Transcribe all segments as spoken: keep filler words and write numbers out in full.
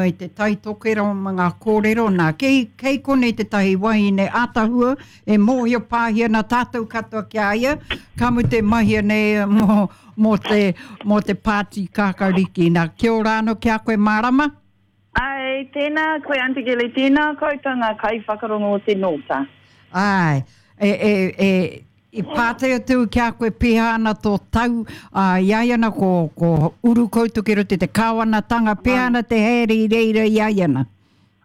I te Tai Tokerau ma ngā kōrero nā. Kei, kei konei tētahi wahine ātahua e mōhio pāhi ana tātou katoa ki a ia, ka mutu e mahia nei mō, mō te, mō te pāti kākāriki. Nā, kia ora anō ki a koe Mārama. Ai, tēnā koe Aunty Gilly, tēnā koutou ngā kaiwhakarongo o te Nōta. Ai, e, e, e, I pātai atu ki a koe pēhea ana tō tau, ā, i a ia ana ko, ko uru koutou ki roto i te kāwanatanga, pēhea ana te haere i reira i a ia ana?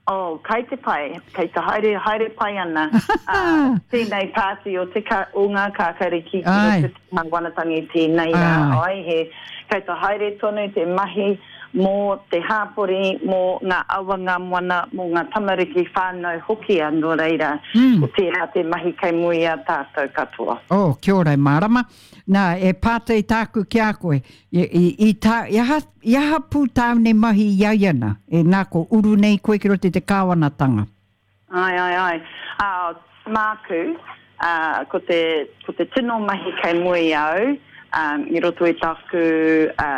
Oh, kai te pai, kei te haere, haere pai ana, ā, tēnei pāti o te ka, o ngā kākariki ki roto i te kāwanatanga i tēnei rā, ai, he, kei te haere tonu te mahi mō te hāpori, mō ngā awa, ngā moana, mō ngā tamariki, whānau hoki, ā, nō reira, ko tērā te mahi kei mua i a tātou katoa. Oh, kia ora e Mārama. Nā, e pātai tāku ki a koe, i, i, i, tā, i, aha, i aha pū tāu nei mahi i a ia nā? E, nā, ko uru nei koe ki roto i te kāwanatanga. Āe, āe, āe. Ā, māku, ā, ko te, ko te tino mahi kei mua i a au, ā, i roto i tāku, ā,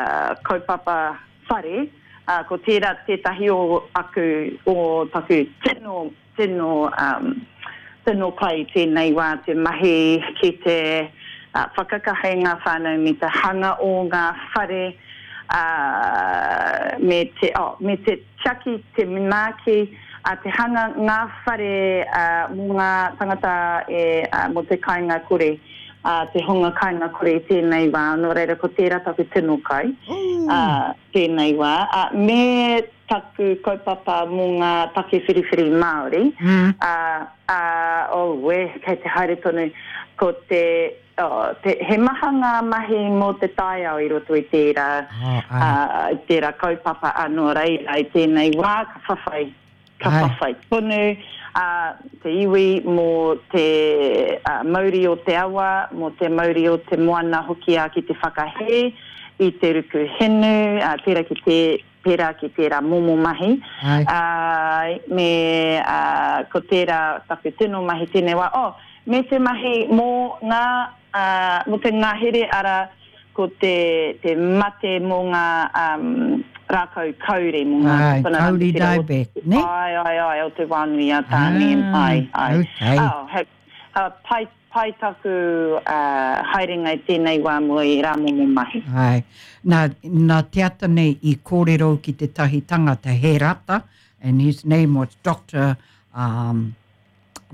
kaupapa whare, ā, ko tērā tētahi o aku, o taku tino, tino, ā, tino pai i tēnei wā te mahi ki te, ā, whakakaha i ngā whānau me te hanga o ngā whare, ā, me te, oh, me te tiaki, te manaaki, ā, te hanga ngā whare, ā, mō ngā tangata e, ā, mō te kāinga kore, ā, te hunga kāinga kore i tēnei wā, nō reira ko tērā taku tino kai, ā, tēnei wā, ā, me taku kaupapa mō ngā take whiriwhiri Māori, ā, ā, auē, kei te haere tonu, ko te, Oh, te, he maha ngā mahi mō te taiao i roto i tērā, oh, ā, i tērā kaupapa, ā, nō reira, i tēnei wā, ka whawhai, ka ai. whawhai tonu ā, te iwi mō te ā, mauri o te awa, mō te mauri o te moana hoki ā, ki te whakahē i te ruku hinu, ā, pērā ki te, pērā ki tērā momo mahi, ā, me, ā, ko tērā taku tino mahi tēnei wā. Oh, me te mahi mō ngā, ā, mō te ngahere, arā, ko te, te mate mō ngā, ā, rākau kauri, mō ngā Āe, kauri dieback, nē? Āe, āe, āe, o te wānui a Tāne, āe, āe. Okay. Oh, he, ā, pai, Pai taku haerenga i tēnei wā mō ērā momo mahi. Āe. Nā, nā te ata nei i kōrero ki tētahi tangata, he rata, and his name was Doctor, um,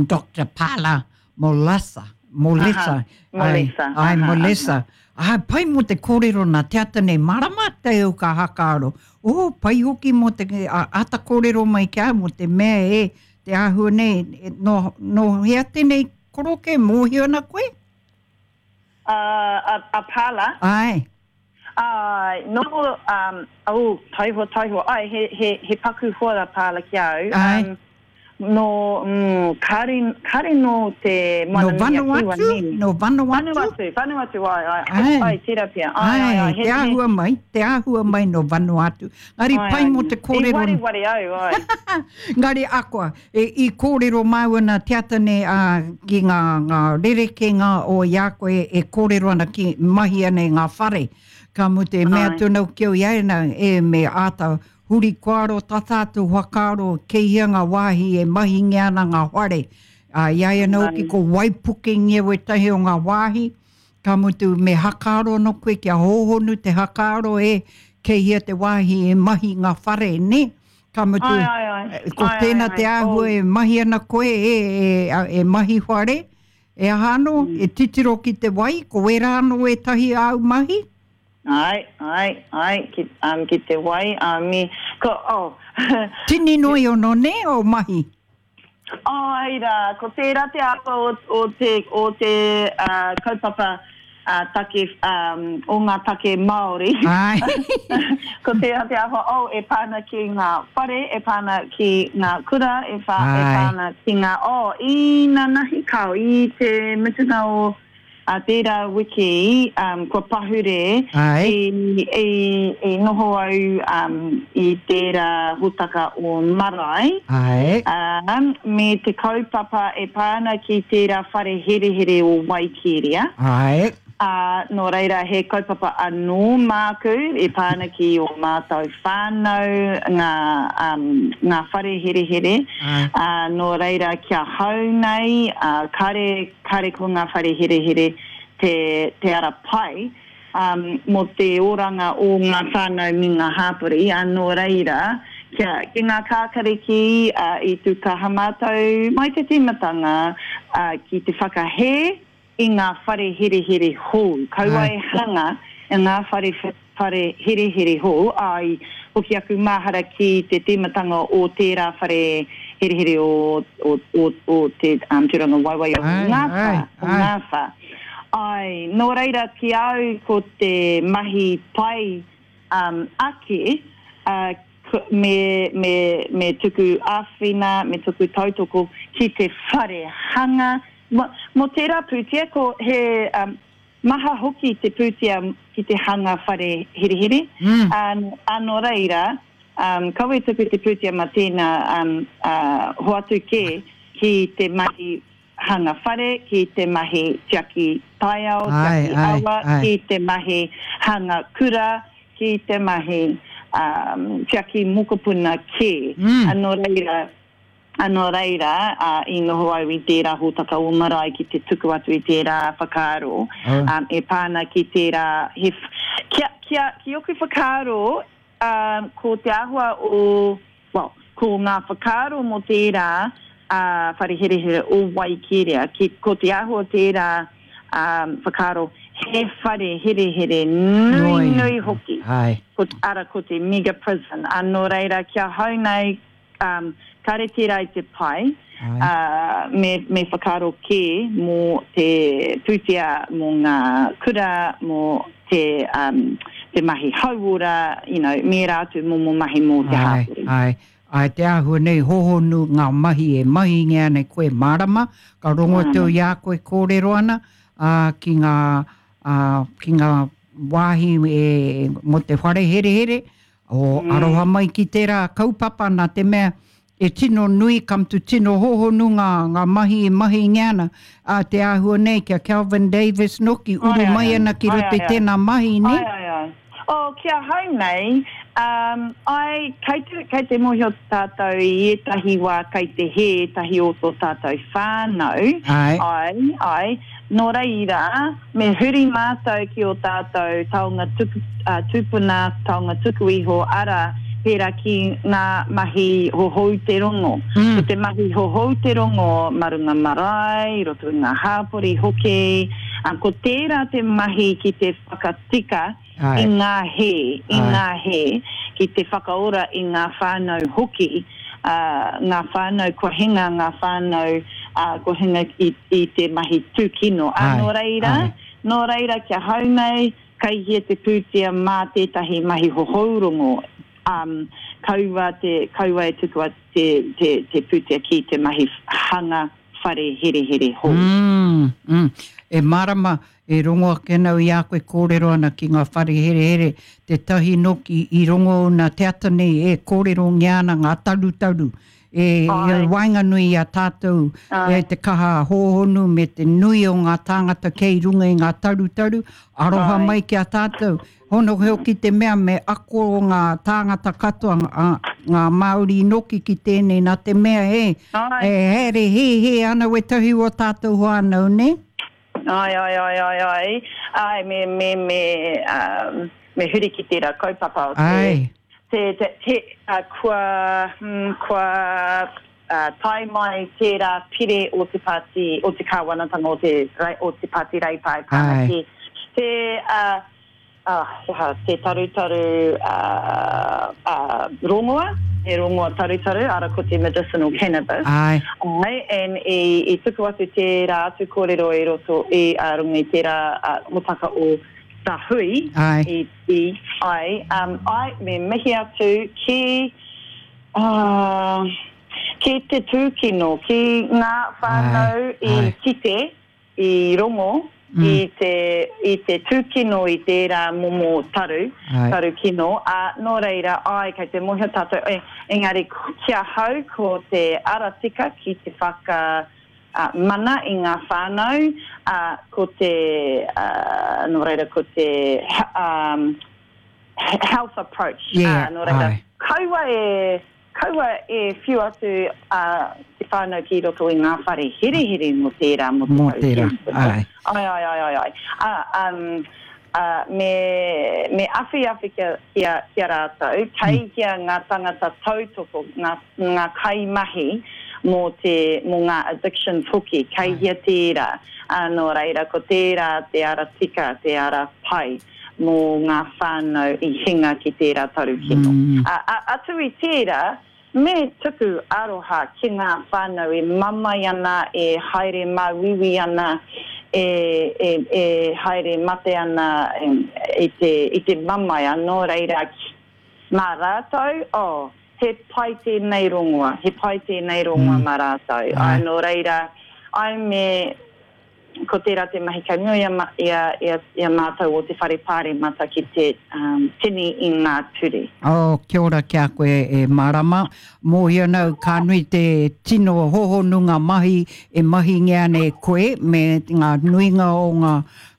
Doctor Pala Molasa, Molesa. Aha, Molesa. Āe, Molesa. Āe, pai mō te kōrero nā te ata nei, mārama te au ka hakaaro. Oh, pai hoki mō te, āta kōrero mai ki a au mō te mea e, te āhua nei, nō, nō hea tēnei Koroke, mōhio ana koe? A, a, a Pala? Āe. Āe, nō, um, oh, taihoa, taihoa, āe, he, he, he paku hoa a Pala ki a au. Āe. Um, nō, mm, kāre, kāre nō te Nō Moana-nui-a-Kiwa, Vanuatu? nē. Nō Vanuatu? Vanuatu, Vanuatu, āe, āe, Āe. āe, tērā pea, āe, āe, āe, Āe, he, te he. āhua mai, te āhua mai nō Vanuatu. Ngari Āe, pai āe, mō te i kōrero. wareware au, āe. Ngari akoa, e, i kōrero māua nā te ata nei ā, ki ngā, ngā rerekēnga o i a koe e kōrero ana ki mahi ana i ngā whare. Ka mutu e mea Āe. atu ana ki au i a ia nā, e me āta huri koaro tā tātou whakaaro kei hea ngā wāhi e mahingia ana ngā whare. Ā, i a ia anō hoki Āe. ko waipukengia wētahi o ngā wāhi, ka mutu me hakaaro anō koe kia hōhonu te hakaaro e kei hea te wāhi e mahi ngā whare, nē? Ka mutu, Ai, ai, ai. ko Ai, ai, tēnā ai. te āhua Oh. e mahi ana koe e, e, e mahi whare, e aha anō, Mm. e titiro ki te wai, ko wērā anō ētahi āu mahi? Ai, ai, ai, ki, um, ki te wai, um, me, ko, oh. Tini noi ono, nē, o mahi? Āe rā, ko tērā te āhua o, o te, o te uh, kaupapa uh, take, um, o ngā take Māori. Āe. Ko tērā te āhua, oh, e pā ana ki ngā whare, e pā ana ki ngā kura, e, whā, e pā Āe. ana ki ngā, oh, īnanahi kāo, i te mutunga o Ā tērā wiki, um, kua pahure, Āe. i, i, i noho au um, i tērā hōtaka o Marae, Āe. um, me te kaupapa e pā ana ki tērā whare herehere o Waikeria. Āe. Uh, nō reira he kaupapa anō māku e pā ana ki o mātou whānau, ngā, um, ngā whare herehere. Uh, nō reira kia hau nei, uh, kare, kare ko ngā whare herehere te, te ara pai um, mō te oranga o ngā whānau me ngā hāpori. Uh, nō reira, kia, ki ngā kākariki uh, i tūkaha mātou mai te tīmatanga uh, ki te whakahē i ngā whare herehere hou. Kaua e hanga i ngā whare, whare herehere hou. Ai, hoki aku mahara ki te tīmatanga o tērā whare herehere o, o, o, o te um, tūranga waiwai o Ngāwhā. O Ngāwhā. Ai, nō reira ki au ko te mahi pai um, ake, uh, me, me, me tuku āwhina, me tuku tautoko ki te whare hanga. Mo, mo tērā pūtea, ko he um, maha hoki te pūtea ki te hanga whare herehere. Mm. Um, anō reira, um, kawe tuku te pūtea ma tēnā um, uh, hoatu kē ki te mahi hanga whare, ki te mahi tiaki taiao, tiaki ai, awa, ai. ki te mahi hanga kura, ki te mahi um, tiaki mokopuna kē. Mm. Anō reira, Anō reira, uh, i noho au i tērā hōtaka o marae ki te tuku atu i tērā whakaaro, Oh. um, e pāna ki tērā, he, kia, kia, ki oku whakaaro, um, ko te āhua o, well, ko ngā whakaaro mō tērā uh, whare herehere o Waikeria, ki, ko te āhua o tērā um, whakaaro, he whare herehere nui, Nui. nui hoki. Ai. Ko, ara ko te mega prison. Anō reira, kia hau nei, um, kare tērā i te pai, Ai. uh, me, me whakaaro kē mō te pūtea, mō ngā kura, mō te, um, te mahi hauora, you know, me rā atu mō mō mahi mō te Ai, hāpori. ai. Ai, te āhua nei hohonu ngā mahi e mahi ngea nei koe mārama, ka rongo Mm. tau i a koe kōrero ana, uh, ki ngā, uh, ki ngā wāhi e, mō te whare herehere, o Mm. aroha mai ki tērā kaupapa nā te mea e tino nui kam tu tino hohonu ngā, ngā mahi e mahi ngea ana. A te āhua nei kia Kelvin Davis noki uru Ai, ai, mai ai. ana ki Ai, roto i ai, ai. tēnā mahi, ne? Ai, ai, ai. Oh, kia hau nei, um, ai, kei te, kei te mōhio tātou i ētahi wā kei te hē, ētahi o tō tātou whānau. Ai. Ai, ai. Nō reira, me huri mātou ki o tātou taonga tuku, uh, tūpuna, taonga tuku iho, ara, pērā ki ngā mahi hohou te rongo. Mm. Ko te mahi hohou te rongo marunga marae, i roto i ngā hāpori hoki. Um, ko tērā te mahi ki te whakatika Ai. i ngā hē, i Ai. ngā hē, ki te whakaora i ngā whānau hoki, uh, ngā whānau kua hinga, ngā whānau uh, kua hinga i, i te mahi tūkino. A, Ai, nō reira, ai. nō reira kia hau nei, kei hia te pūtea mā tētahi mahi hohourongo. Um, kaua, te, kaua e tukua te, te, te pūtea ki te mahi hanga whare herehere hou. Mm, mm. E marama, e rongo ake nau i a koe kōrero ana ki ngā whare herehere, te tahi noki i rongo nā te ata nei e kōrero ngea ana ngā tarutaru. E, e Ai. waenganui i a tātou, Ai. e te kaha hōhonu me te nui o ngā tāngata kei runga i ngā tarutaru, aroha Ai. mai ki a tātou. Hono hoki te mea me ako o ngā tāngata katoa, ngā, ngā Māori noki ki tēnei nā te mea e, Ai. e here he he ana wetahi o tātou whānau, ne? Ai, ai, ai, ai, ai. Ai, me, me, me, um, me huri ki tērā kaupapa o te, Ai. te, te, te, uh, kua, mm, kua uh, tae mai tērā pire o te pāti, o te kāwanatanga o te, o te pāti Reipa e pāna Ai. ki te, uh, uh, te tarutaru uh, uh, rongoa, he rongoa tarutaru, ara ko te medicinal cannabis. Ai. Ai, and i, i tuku atu tērā atu kōrero i roto i uh, runga i tērā uh, motaka o Tahui. Ai. I, i, ai, um, ai, me mihi atu ki, uh, ki te tūkino, ki ngā whānau Ai, i ai. kite, i rongo, Mm. i te, i te tūkino i tērā momo taru, Ai. taru kino. A, nō reira, ai, kei te mōhio tātou, e, engari ki ahau ko te ara tika ki te whaka, uh, mana i ngā whānau, uh, ko te, uh, nō reira, ko te um, health approach. Yeah, uh, nō reira, ai. kaua e, kaua e whiu atu uh, te whānau ki roto i ngā whare herehere mō tērā, mō te Mō tau tērā, kino. ai. Ai, ai, ai, ai, ai. Uh, um, uh, me, me awhi awhi kia, kia, kia rātou, kei hea ngā tangata tautoko, ngā, ngā kaimahi mō, te, mō ngā addictions hoki, kei hea tērā. Uh, nō reira, ko tērā te ara tika, te ara pai mō ngā whānau i hinga ki tērā taru kino. Mm. Uh, a, atu i tērā, me tuku aroha ki ngā whānau e mamae ana, e haere māuiui ana, e, e, e haere mate ana e, i te, i te mamae anō reira ki- mā rātou, oh, he pai tēnei rongoa, he pai tēnei rongoa Mm. mā rātou. Ai. Ai, nō reira, ai me, ko tērā te mahi kei mua i a, ma- i a, i a, i a mātou o te whare pāremata ki te um, tini i ngā ture. Oh, kia ora ki a koe e marama. Mōhio nau, ka nui te tino hohonu ngā mahi e mahingia nei koe me ngā nuinga o ngā,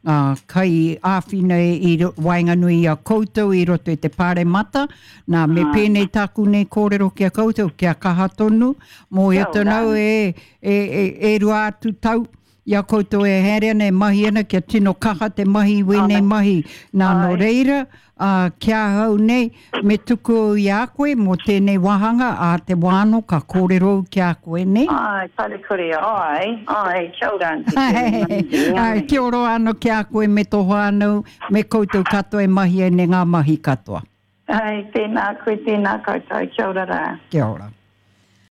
ngā kai āwhina i ro- waenganui i a koutou i roto i te pāremata. Nā, me Ai. pēnei tāku nei kōrero ki a koutou, kia kaha tonu. Mōhio Kia ora. tonu e, e, e, e rua atu tau i a koutou e haere ana e mahi ana kia tino kaha te mahi i wēnei Ai. mahi. Nā, nō Ai. reira, uh, kia ahau nei, me tuku au i a koe mō tēnei wāhanga a te wāno ka kōrero au ki a koe nei. Ai, parekore, ai, ai, kia ora, Aunty Ai, Keri. ai, kia ora anō ki a koe me tō whānau, me koutou katoa e mahi ai nei ngā mahi katoa. Ai, tēnā koe, tēnā koutou, kia ora rā. Kia ora.